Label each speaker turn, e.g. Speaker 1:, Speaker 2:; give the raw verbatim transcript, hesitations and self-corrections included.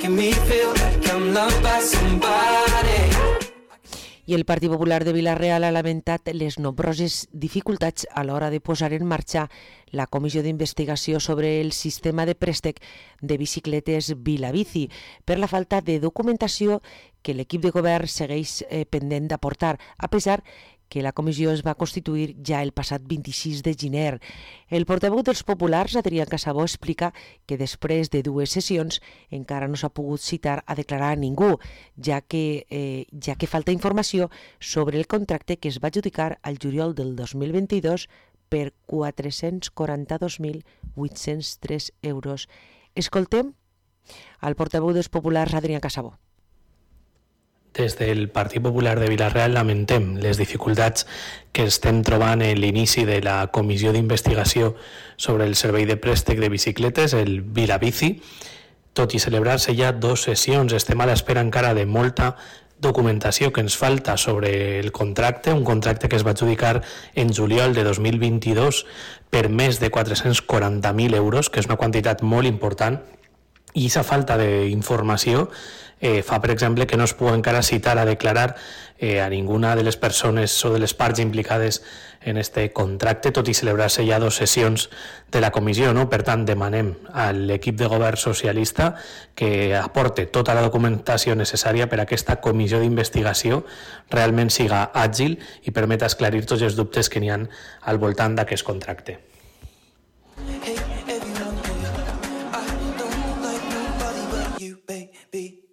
Speaker 1: making me feel like I'm loved by somebody.
Speaker 2: I el Partit Popular de Vila-real ha lamentat les nombroses dificultats a l'hora de posar en marxa la comissió d'investigació sobre el sistema de préstec de bicicletes Vilabici per la falta de documentació que l'equip de govern segueix eh, pendent d'aportar, a pesar que la comissió es va constituir ja el passat vint-i-sis de gener. El portaveu dels populars, Adrià Casabó, explica que després de dues sessions encara no s'ha pogut citar a declarar a ningú, ja que, eh, ja que falta informació sobre el contracte que es va adjudicar al juliol del dos mil vint-i-dos per quatre-cents quaranta-dos mil vuit-cents tres euros. Escoltem al portaveu dels populars, Adrià Casabó.
Speaker 3: Des del Partit Popular de Vila-real lamentem les dificultats que estem trobant en l'inici de la comissió d'investigació sobre el servei de préstec de bicicletes, el Vilabici. Tot i celebrar-se ja dues sessions, estem a l'espera encara de molta documentació que ens falta sobre el contracte, un contracte que es va adjudicar en juliol de dos mil vint-i-dos per més de quatre-cents quaranta mil euros, que és una quantitat molt important, i aquesta falta d'informació eh, fa, per exemple, que no es pugui encara citar a declarar eh, a ninguna de les persones o de les parts implicades en este contracte, tot i celebrar-se ja dues sessions de la comissió, no? Per tant, demanem a l'equip de govern socialista que aporte tota la documentació necessària per a aquesta comissió d'investigació realment siga àgil i permeta esclarir tots els dubtes que n'hi ha al voltant d'aquest contracte.